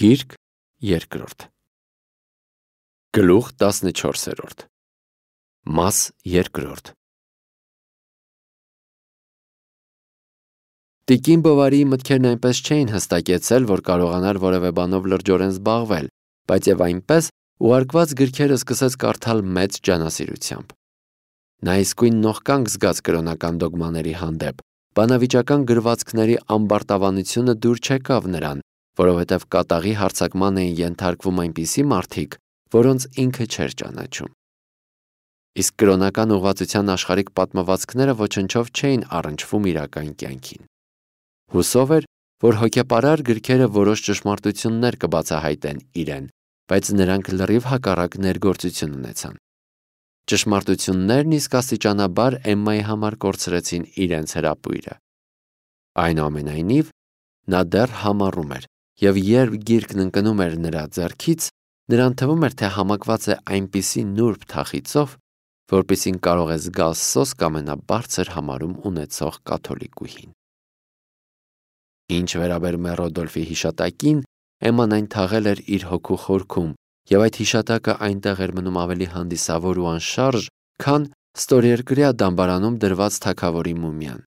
Գիրք երկրորդ Գլուխ 14 Մաս երկրորդ Տիկին Բովարիի մտքերն այնպես չէին հստակեցել, որ կարողանար որևէ բանով լրջորեն զբաղվել, բայց եւ այնպես ուղարկված գրքերը սկսեց կարդալ մեծ ջանասիրությամբ։ Նա իսկույն նողկանք զգաց կրոնական դոգմաների հանդեպ, բանավիճական գրվածքների ամբարտավանությունը դուր չեկավ նրան, որովհետև կատաղի հարձակման էին ենթարկվում այնպիսի մարդիկ, որոնց ինքը չէր ճանաչում։ Իսկ կրոնական ուղղվածության աշխարհիկ պատմվածքները ոչնչով չէին առնչվում իրական կյանքին։ Հուսով էր, որ հոգեպարար գրքերը որոշ ճշմարտություններ կբացահայտեն իրեն, բայց նրանք լրիվ հակառակ ներգործություն ունեցան։ Ճշմարտություններն իսկ աստիճանաբար Էմմայի համար կորցրեցին իրենց հրապույրը։ Այնուամենայնիվ, նա դեռ համառում էր, և երբ գիրքն ընկնում էր նրա ձեռքից, նրան թվում էր, թե համակված է այնպիսի նուրբ թախիծով, որպիսին կարող է զգալ սոսկ ամենաբարձր համարում ունեցող կաթոլիկուհին։ Ինչ վերաբերում է Ռոդոլֆի հիշատակին, Էմման այն թաղել էր իր հոգու խորքում, և այդ հիշատակը այնտեղ էր մնում ավելի հանդիսավոր ու անշարժ, քան ստորերկրյա դամբարանում դրված թագավորի մումիան։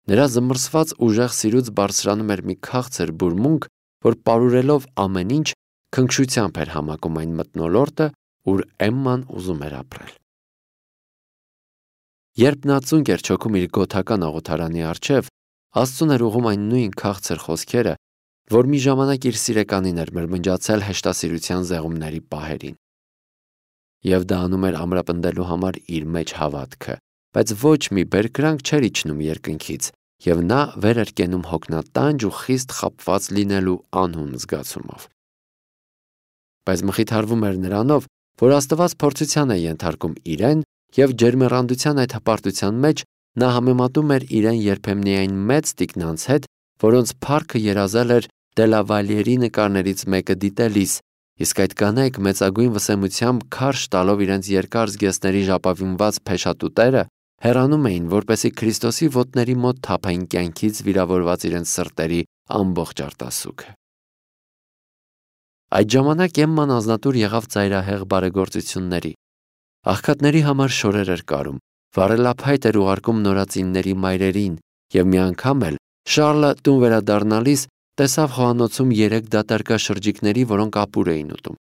Նրա զմռսված ուժեղ սիրուց բարձրանում էր մի քաղցր բուրմունք, որ պարուրելով ամեն ինչ, քնքշությամբ էր համակում այն մթնոլորտը, ուր Էմման ուզում էր ապրել։ Երբ նա ծունկ էր չոքում իր գոթական աղոթարանի առջև, Աստծուն էր ուղում այն նույն քաղցր խոսքերը, որ մի ժամանակ իր սիրեկանին էր մրմնջացել հեշտասիրության զեղումների պահերին։ Եվ դա անում էր ամրապնդելու համար իր մեջ հավատքը, բայց ոչ մի բերկրանք չէր իջնում երկնքից, և նա վեր էր կենում հոգնատանջ ու խիստ խաբված լինելու անհուն զգացումով։ Բայց մխիթարվում էր նրանով, որ Աստված փորձության է ենթարկում իրեն, և ջերմեռանդության այդ հպարտության մեջ նա համեմատում էր իրեն երբեմնի այն մեծ տիկնանց հետ, որոնց փառքը երազել էր Դելավալիերի նկարներից մեկը դիտելիս, իսկ այդ կանայք մեծագույն վսեմությամբ քարշ տալով իրենց երկար զգեստների ժապավինված փեշատուտերը հեռանում էին, որպեսզի Քրիստոսի ոտների մոտ թափեին կյանքից վիրավորված իրենց սրտերի ամբողջ արտասուքը։ Այդ ժամանակ Էմման անձնատուր եղավ ծայրահեղ բարեգործությունների։ Աղքատների համար շորեր էր կարում, վառելափայտ էր ուղարկում նորածինների մայրերին, և մի անգամ էլ Շառլը տուն վերադառնալիս տեսավ խոհանոցում 3 դատարկաշրջիկների, որոնք ապուր էին ուտում։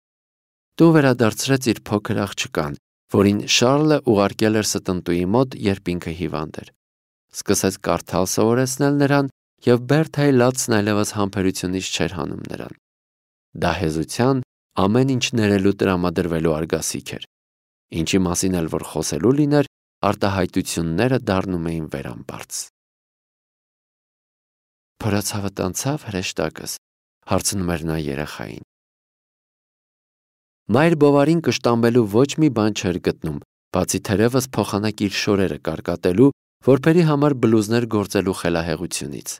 Տուն վերադարձրեց իր փոքր աղջկան, որին Շառլը ուղարկել էր ստնտուի մոտ, երբ ինքը հիվանդ էր։ Սկսեց կարդալ սովորեցնել նրան, և Բերթայի լացն այլևս համբերությունից չէր հանում նրան։ Դա հեզության, ամեն ինչ ներելու տրամադրվելու արգասիք էր։ Ինչի մասին էլ որ խոսելու լիներ, արտահայտությունները դառնում էին վերամբարձ։ Փորացավդ անցավ հրեշտակս, հարցնում էր նա երեխային։ Մայր Բովարին կշտամբելու ոչ մի բան չէր գտնում, բացի թերևս փոխանակ իր շորերը կարկատելու, որբերի համար բլուզներ գործելու խելահեղությունից։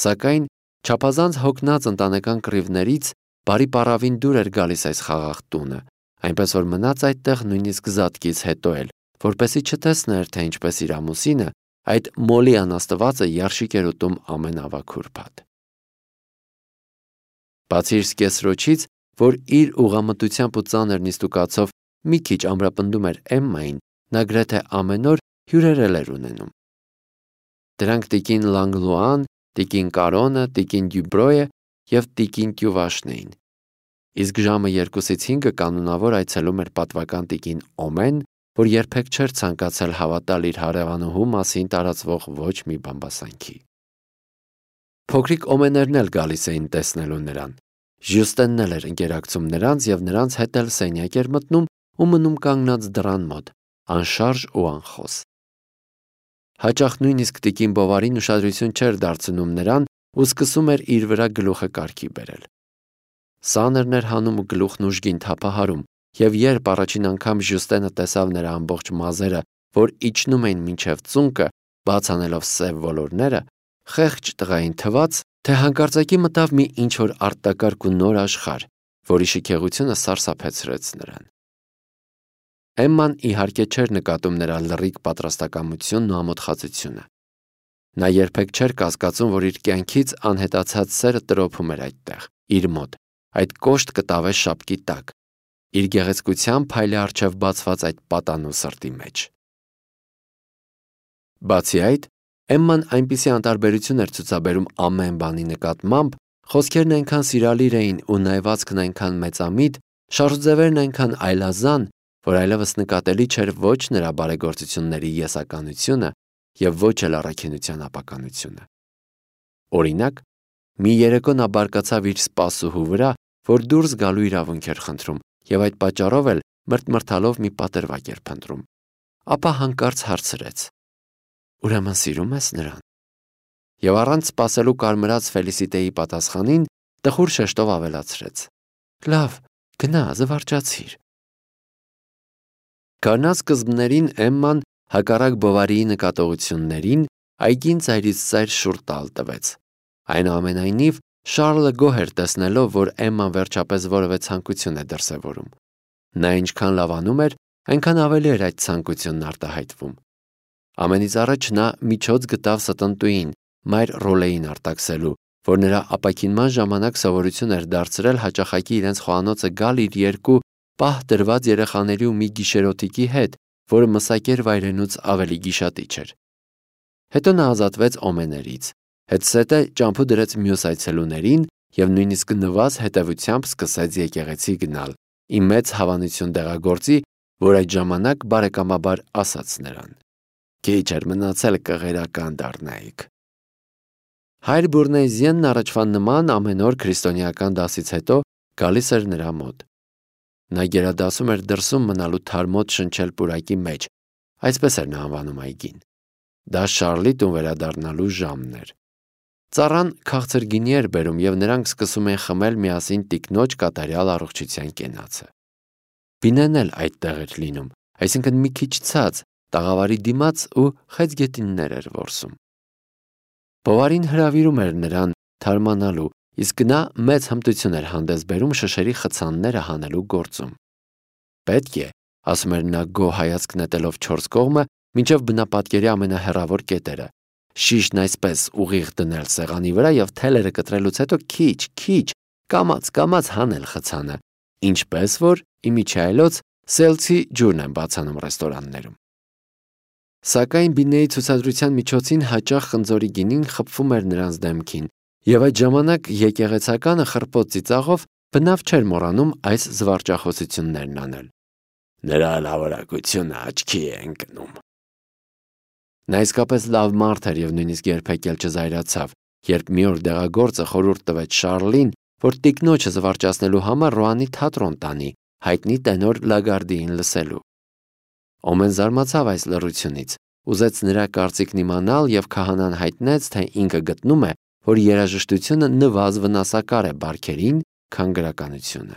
Սակայն չափազանց հոգնած ընտանեկան կռիվներից բարի պառավին դուր էր գալիս այս խաղաղ տունը, այնպես որ մնաց այդտեղ նույնիսկ զատկից հետո էլ, որպեսզի չտեսներ, թե ինչպես իր ամուսինը, այդ մոլի անաստվածը երշիկ էր ուտում ամեն ավագ ուրբաթ։ Բացի իր սկեսրոջից, որ իր ուղղամտությամբ ու ծանր նիստուկացով մի քիչ ամրապնդում էր Էմմային, նա գրեթե ամեն օր հյուրեր էր ունենում։ Դրանք տիկին Լանգլուան, տիկին Կարոնը, տիկին Դյուբրոյը և տիկին Կյուվաշն էին։ Իսկ ժամը 2-ից 5 կանոնավոր այցելում էր պատվական տիկին Օմեն, որ երբեք չէր ցանկացել հավատալ իր հարևանուհու մասին տարածվող ոչ մի բամբասանքի։ Փոքրիկ Օմեներն էլ գալիս էին տեսնելու նրան։ Ժյուստենն էլ էր ընկերակցում նրանց, և նրանց հետ էլ սենյակ էր մտնում ու մնում կանգնած դռան մոտ, անշարժ ու անխոս։ Հաճախ նույնիսկ տիկին Բովարին ուշադրություն չէր դարձնում նրան ու սկսում էր իր վրա գլուխը կարգի բերել։ Սաներն էր հանում ու գլուխն ուժգին թափահարում, և երբ առաջին անգամ Ժյուստենը տեսավ նրա ամբողջ մազերը, որ իջնում էին մինչև ծունկը, բաց անելով սև ոլորները, խեղճ տղային թվաց, թե հանկարծակի մտավ մի ինչ-որ արտակարգ ու նոր աշխարհ, որի շքեղությունը սարսափեցրեց նրան։ Էմման իհարկե չէր նկատում նրա լռիկ պատրաստակամությունն ու ամոթխածությունը։ Նա երբեք չէր կասկածում, որ իր կյանքից անհետացած սերը տրոփում էր այդտեղ, իր մոտ, այդ կոշտ կտավե շապկի տակ, իր գեղեցկությամբ փայլի առջև բացված այդ պատանու սրտի մեջ։ Բացի այդ, Էմման այնպիսի անտարբերություն էր ցուցաբերում ամեն բանի նկատմամբ, խոսքերն այնքան սիրալիր էին ու նայվածքն այնքան մեծամիտ, շարժուձևերն այնքան այլազան, որ այլևս նկատելի չէր ոչ նրա բարեգործությունների եսականությունը և ոչ էլ առաքինության ապականությունը։ Օրինակ, մի երեկո նա բարկացավ իր սպասուհու վրա, որ դուրս գալու իրավունք էր խնդրում և այդ պատճառով էլ մրթմրթալով մի պատրվակ էր փնտրում, ապա հանկարծ հարցրեց. «Ուրեմն սիրում ես նրան»։ Եվ առանց սպասելու կարմրած Ֆելիսիտեի պատասխանին տխուր շեշտով ավելացրեց. «Լավ, գնա, զվարճացիր»։ Կանանց սկզբներին Էմման, հակառակ Բովարիի նկատողություններին, այգին ծայրից ծայր շուռ տալ տվեց։ Այնուամենայնիվ, Շառլը գոհ էր տեսնելով, որ Էմման վերջապես որևէ ցանկություն է դրսևորում։ Նա ինչքան լավանում էր, այնքան ավելի էր այդ ցանկությունն արտահայտվում։ Ամենից առաջ նա միջոց գտավ ստնտուին, մայր Ռոլեին արտաքսելու, որ նրա ապաքինման ժամանակ սովորություն էր դարձրել հաճախակի իրենց խոհանոցը գալ իր երկու պահ դրված երեխաների ու մի գիշերօթիկի հետ, որը մսակեր վայրենուց ավելի գիշատիչ էր։ Հետո նա ազատվեց օմեներից, հետզհետե ճամփու դրեց մյուս այցելուներին և նույնիսկ նվազ հետևությամբ սկսեց եկեղեցի գնալ, ի մեծ հավանություն դեղագործի, որ այդ ժամանակ բարեկամաբար ասաց նրան. «Քիչ էր մնացել կղերական դառնայիք»։ Հայր Բուրնեզիենն առաջվա նման ամեն օր քրիստոնեական դասից հետո գալիս էր նրա մոտ։ Նա գերադասում էր դրսում մնալու թարմոտ շնչել պուրակի մեջ, այսպես էր նա անվանում այգին։ Դա Շառլի տուն վերադառնալու ժամն էր։ Ծառան քաղցր գինի էր բերում և նրանք սկսում էին խմել միասին տիկնոջ կատարյալ առողջության կենացը։ Բինեն էլ այդտեղ էր լինում, այսինքն մի քիչ ցած, տաղավարի դիմաց ու խեցգետիններ էր որսում։ Բովարին հրավիրում էր նրան թարմանալու, իսկ նա մեծ հմտություն էր հանդես բերում շշերի խցանները հանելու գործում։ Պետք է, ասում էր նա գոհ հայացք նետելով չորս կողմը, մինչև բնապատկերի ամենահեռավոր կետերը, շիշն այսպես ուղիղ դնել սեղանի վրա և թելերը կտրելուց հետո քիչ, կամաց հանել խցանը, ինչպես որ իմիջիայլոց սելցի ջուրն են բացանում ռեստորաններում։ Սակայն Բինեի ցուցադրության միջոցին հաճախ խնձորի գինին խփվում էր նրանց դեմքին, և այդ ժամանակ եկեղեցականը խռպոտ ծիծաղով բնավ չէր մոռանում այս զվարճախոսություններն անել. «Նրա լավորակությունը աչքի է ընկնում»։ Նա իսկապես լավ մարդ էր և նույնիսկ երբեք էլ չզայրացավ, երբ մի օր դեղագործը խորհուրդ տվեց Շառլին, որ տիկնոջը զվարճացնելու համար Ռոանի թատրոն տանի, հայտնի տենոր Լագարդիին լսելու։ Օմեն զարմացավ այս լռությունից, ուզեց նրա կարծիքն իմանալ և քահանան հայտնեց, թե ինքը գտնում է, որ երաժշտությունը նվազ վնասակար է բարքերին, քան գրականությունը։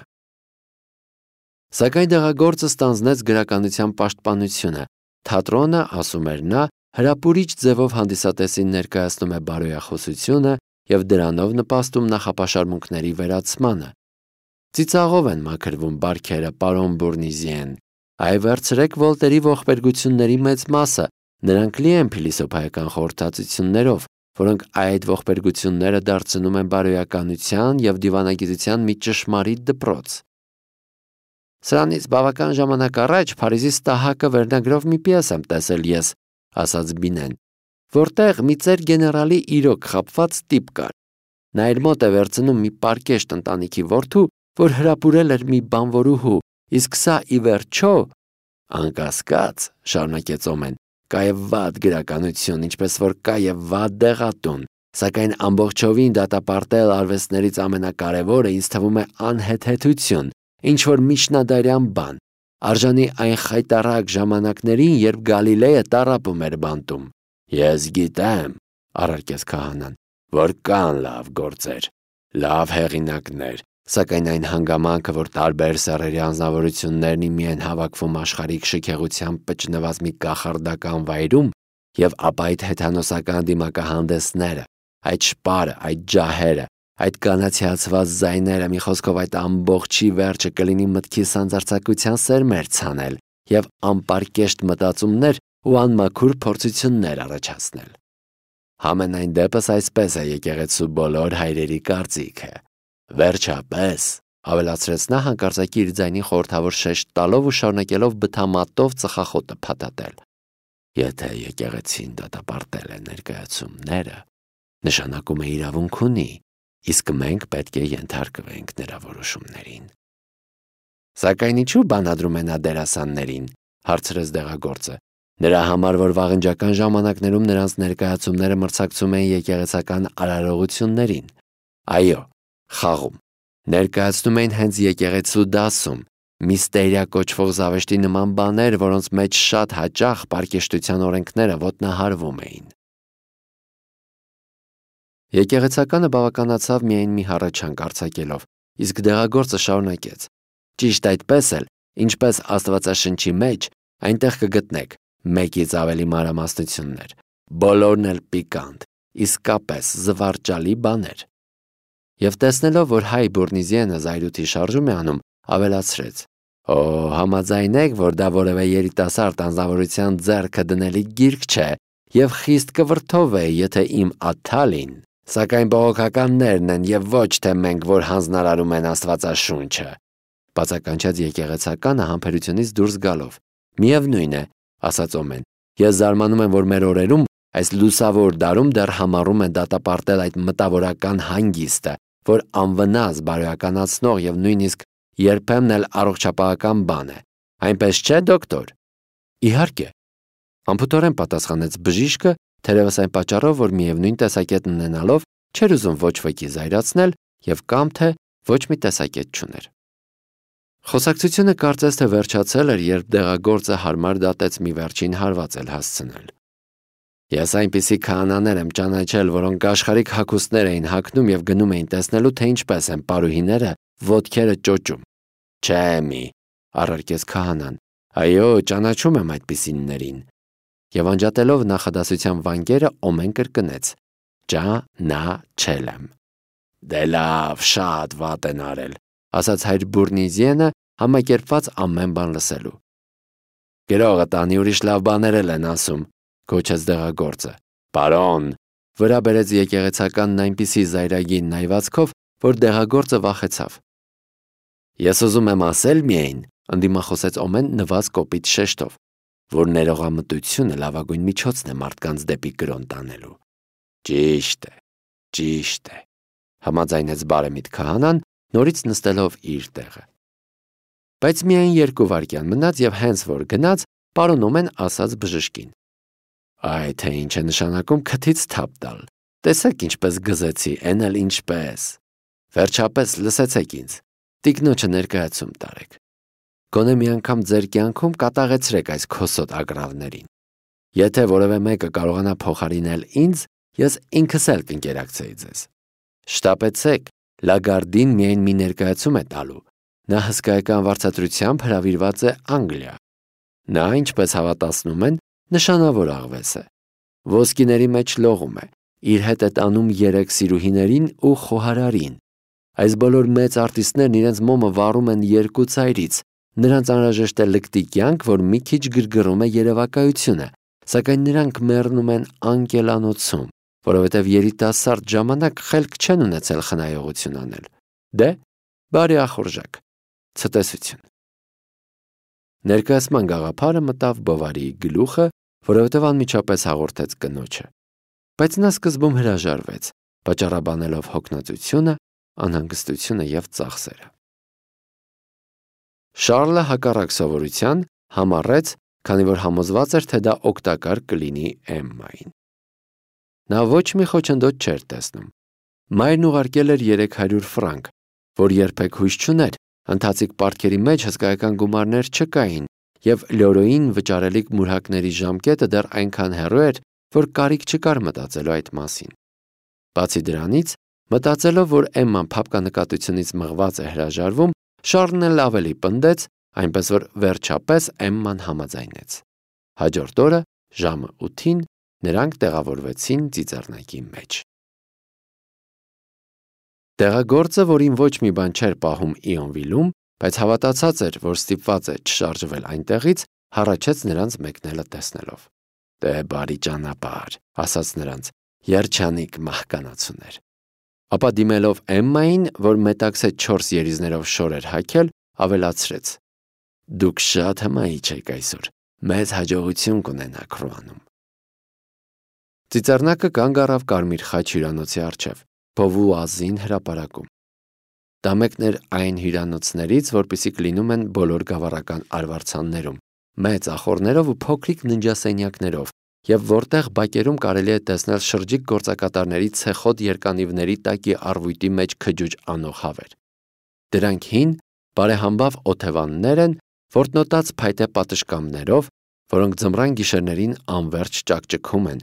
Սակայն դեղագործը ստանձնեց գրականության պաշտպանությունը։ Թատրոնը, ասում էր նա, հրապուրիչ ձևով հանդիսատեսին ներկայացնում է բարոյախոսությունը և դրանով նպաստում նախապաշարմունքների վերացմանը։ Ծիծաղով են մաքրվում բարքերը, պարոն Բուրնիզիեն, այ վերցրեք Վոլտերի ողբերգությունների մեծ մասը, նրանք լի են փիլիսոփայական խորհրդածություններով, որոնք այդ ողբերգությունները դարձնում են բարոյականության և դիվանագիտության մի ճշմարիտ դպրոց։ Սրանից բավական ժամանակ առաջ Փարիզի Ստահակը վերնագրով մի պիես եմ տեսել ես, ասաց Բինեն, որտեղ մի ծեր գեներալի իրոք խաբված տիպ կար։ Նա իր մոտ է վերցնում մի պարկեշտ ընտանիքի որդու, որ հրապուրել էր մի բանվորուհու, իսկ սա ի վերջո, անկասկած, շարունակեց Օմեն, կա և վատ գրականություն, ինչպես որ կա և վատ դեղատուն, սակայն ամբողջովին դատապարտել արվեստներից ամենակարևորը ինձ թվում է անհեթեթություն, ինչ որ միջնադարյան բան, արժանի այն խայտառակ ժամանակներին, երբ Գալիլեյը տառապում էր բանտում։ Ես գիտեմ, առարկեց քահանան, որ կան լավ գործեր, լավ հեղինակներ, սակայն այն հանգամանքը, որ տարբեր սեռերի անձնավորություններն միայն հավաքվում աշխարհիկ շքեղությամբ պճնված մի կախարդական վայրում, և ապա այդ հեթանոսական դիմակահանդեսները, այդ շպարը, այդ ջահերը, այդ կանացիացված ձայները, մի խոսքով այդ ամբողջի վերջը կլինի մտքի սանձարձակության սերմեր ցանել և անպարկեշտ մտածումներ ու անմաքուր փորձություններ առաջացնել։ Համենայն դեպս այսպես է եկեղեցու բոլոր հայրերի կարծիքը։ Վերջապես, ավելացրեց նա հանկարծակի իր ձայնին խորհրդավոր շեշտ տալով ու շարունակելով բթամատով ծխախոտը փաթաթել։ Եթե եկեղեցին դատապարտել է ներկայացումները, նշանակում է իրավունք ունի, իսկ մենք պետք է ենթարկվենք նրա որոշումներին։ Սակայն ինչու բանադրում է նա դերասաններին, հարցրեց դեղագործը։ Նրա համար, որ վաղնջական ժամանակներում նրանց ներկայացումները մրցակցում էին եկեղեցական արարողություններին։ Այո, խաղում։ Ներկայացնում էին հենց եկեղեցու դասում, միստերիա կոչվող զավեշտի նման բաներ, որոնց մեջ շատ հաճախ պարկեշտության օրենքները ոտնահարվում էին։ Եկեղեցականը բավականացավ միայն մի հառաչանք արձակելով, իսկ դեղագործը շարունակեց. Ճիշտ այդպես էլ, ինչպես Աստվածաշնչի մեջ, այնտեղ կգտնեք մեկից ավելի մանրամասնություններ, բոլորն էլ պիկանտ, իսկապես զվարճալի բաներ։ Եվ տեսնելով, որ հայ Բուրնիզիենը զայրույթի շարժում է անում, ավելացրեց. Օ, համաձայնեք, որ դա որևէ երիտասարդ անձնավորության ձեռքը դնելի գիրք չէ, եւ խիստ կվրդով է, եթե իմ Աթալին, սակայն բողոքականներն են եւ ոչ թե մենք, որ հանձնարարում են Աստվածաշունչը։ Բացականչած եկեղեցականը համբերությունից դուրս գալով։ Միևնույն է, ասաց Օմեն, ես զարմանում եմ, որ մեր օրերում այս լուսավոր դարում դեռ համառում են դատապարտել այդ մտավորական հանգիստը, որ անվնաս բարոյականացնող եւ նույնիսկ երբեմն էլ առողջապահական բան է։ Այնպես չէ, դոկտոր։ Իհարկե, անփութորեն պատասխանեց բժիշկը, թերևս այն պատճառով, որ միևնույն տեսակետն ունենալով չէր ուզում ոչ ոքի զայրացնել եւ կամ թե ոչ մի տեսակետ չուներ։ Խոսակցությունը կարծես թե վերջացել էր, երբ դեղագործը հարմար դատեց մի վերջին հարված էլ հասցնել։ Ես այնպիսի քահանաներ եմ ճանաչել, որոնք աշխարհիկ հագուստներ էին հագնում եւ գնում էին տեսնելու, թե ինչպես են պարուհիները ոտքերը ճոճում։ Չէ մի, առարկեց քահանան։ Այո, ճանաչում եմ այդպիսիններին։ Եվ անջատելով նախադասության վանկերը Օմեն կրկնեց. Ճանաչել եմ։ Դե լավ, շատ վատ են արել, ասաց հայր Բուրնիզիենը, համակերպված ամեն բան լսելու։ Գրողը տանի ուրիշ լավ բաներ են ասում, գոչեց դեղագործը։ Բարոն, վրա բերեց եկեղեցականն այնպիսի զայրագին նայվածքով, որ դեղագործը վախեցավ։ Ես ուզում եմ ասել միայն, ընդդիմախոսեց Օմեն նված կոպիտ շեշտով, որ ներողամտությունը լավագույն միջոցն է մարդկանց դեպի կրոն տանելու։ Ճիշտ է, համաձայնեց բարեմիտ քահանան, նորից նստելով իր տեղը։ Բայց միայն 2 վայրկյան մնաց եւ հենց որ գնաց, պարոն Օմեն ասաց բժշկին. Այ թե ինչ է նշանակում քթից թափ տալ։ Տեսեք ինչպես գզեցի, էն էլ ինչպես։ Վերջապես լսեցեք ինձ։ Տիկնոջը ներկայացում տարեք։ Գոնե մի անգամ ձեր կյանքում կատաղեցրեք այս քոսոտ ագռավներին։ Եթե որևէ մեկը կարողանա փոխարինել ինձ, ես ինքս էլ կընկերակցեի ձեզ։ Շտապեցեք, Լագարդին միայն մի ներկայացում է տալու։ Նա հսկայական վարձատրությամբ հրավիրված է Անգլիա։ Նա, ինչպես հավատացնում են, նշանավոր աղվես է։ Ոսկիների մեջ լողում է, իր հետ է տանում 3 սիրուհիներին ու խոհարարին։ Այս բոլոր մեծ արտիստներն իրենց մոմը վառում են 2 ծայրից, նրանց անհրաժեշտ է լկտի կյանք, որ մի քիչ գրգռում է երևակայությունը, սակայն նրանք մեռնում են անկելանոցում, որովհետև երիտասարդ ժամանակ խելք չեն ունեցել խնայողություն անել։ Դե, բարի ախորժակ, ցտեսություն։ Ներկայացման գաղափարը մտավ Բովարիի գլուխը, որովհետև անմիջապես հաղորդեց կնոջը, բայց նա սկզբում հրաժարվեց, պատճառաբանելով հոգնածությունը, անհանգստությունը եւ ծախսերը։ Շարլը հակառակ սովորության համառեց, քանի որ համոզված էր, թե դա օգտակար կլինի Էմմային։ Նա ոչ մի խոչընդոտ չէր տեսնում։ Մայրն ուղարկել էր 300 ֆրանկ, որ երբեք հույս չուներ, ընթացիկ պարտքերի մեջ հսկայական գումարներ չկային, եւ Լյորոյին վճարելիք մուրհակների ժամկետը դեռ այնքան հեռու էր, որ կարիք չկար մտածելու այդ մասին։ Բացի դրանից, մտածելով, որ Էմման փափկանկատությունից մղված է հրաժարվում, Շարլն էլ ավելի պնդեց, այնպես որ վերջապես Էմման համաձայնեց։ Հաջորդ օրը ժամը 8-ին նրանք տեղավորվեցին ծիծեռնակի մեջ։ Տեղագործը, որին ոչ մի բան չէր պահում Իոնվիլում, բայց հավատացած էր, որ ստիպված է չշարժվել այնտեղից, հառաչեց նրանց մեկնելը տեսնելով։ Դե բարի ճանապարհ, ասաց նրանց, երջանիկ մահկանացուներ։ Ապա դիմելով Էմմային, որ մետաքսե 4 երիզներով շոր էր հագել, ավելացրեց. «Դուք շատ հմայիչ եք այսօր, մեծ հաջողություն կունենաք Ռուանում»։ Ծիծեռնակը կանգ առավ կարմիր խաչ հյուրանոցի առջև, փովու ազին հրապարակում։ Դա մեկն էր այն հյուրանոցներից, որպիսիք լինում են բոլոր գավառական արվարձաններում, մեծ ախոռներով ու փոքրիկ ննջասենյակներով, եւ որտեղ բակերում կարելի է տեսնել շրջիկ գործակատարների ցեխոտ երկանիվների տակի առվույտի մեջ քջուջ անող հավեր։ Դրանք հին, բարեհամբավ օթևաններ են, որտնոտած փայտե պատշգամբներով, որոնք ձմռան գիշերներին անվերջ ճակճկում են,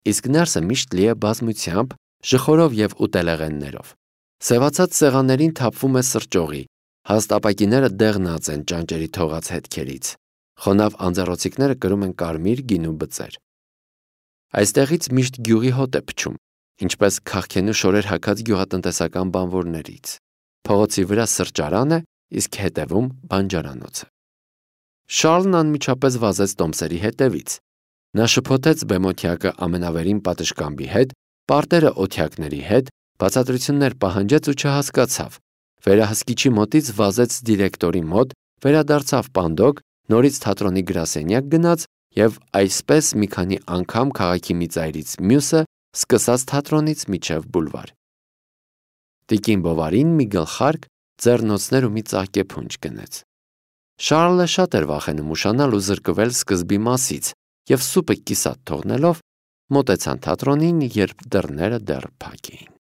իսկ ներսը միշտ լի է բազմությամբ, ժխորով եւ ուտելեղեններով։ Սևացած սեղաններին թափվում է սրճողի, հաստ ապակիները դեղնած են ճանճերի թողած հետքերից, խոնավ անձեռոցիկները կրում են կարմիր գինու բծեր։ Այստեղից միշտ գյուղի հոտ է փչում, ինչպես քաղքենու շորեր հագած գյուղատնտեսական բանվորներից։ Փողոցի վրա սրճարան է, իսկ հետևում բանջարանոցը։ Շարլն անմիջապես վազեց տոմսերի հետևից։ Նա շփոթեց բեմօթյակը ամենավերին պատշգամբի հետ, պարտերը օթյակների հետ, բացատրություններ պահանջեց ու չհասկացավ։ Վերահսկիչի մոտից վազեց դիրեկտորի մոտ, վերադարձավ պանդոկ, նորից թատրոնի գրասենյակ գնաց եւ այսպես մի քանի անգամ քաղաքի մի ծայրից մյուսը, սկսած թատրոնից մինչև բուլվար։ Տիկին Բովարին մի գլխարկ, ձեռնոցներ ու մի ծաղկեփունջ գնեց։ Շարլը շատ էր վախենում ուշանալ ու զրկվել սկզբի մասից եւ սուպը կիսատ թողնելով մոտեցան թատրոնին, երբ դռները դեռ փակ էին։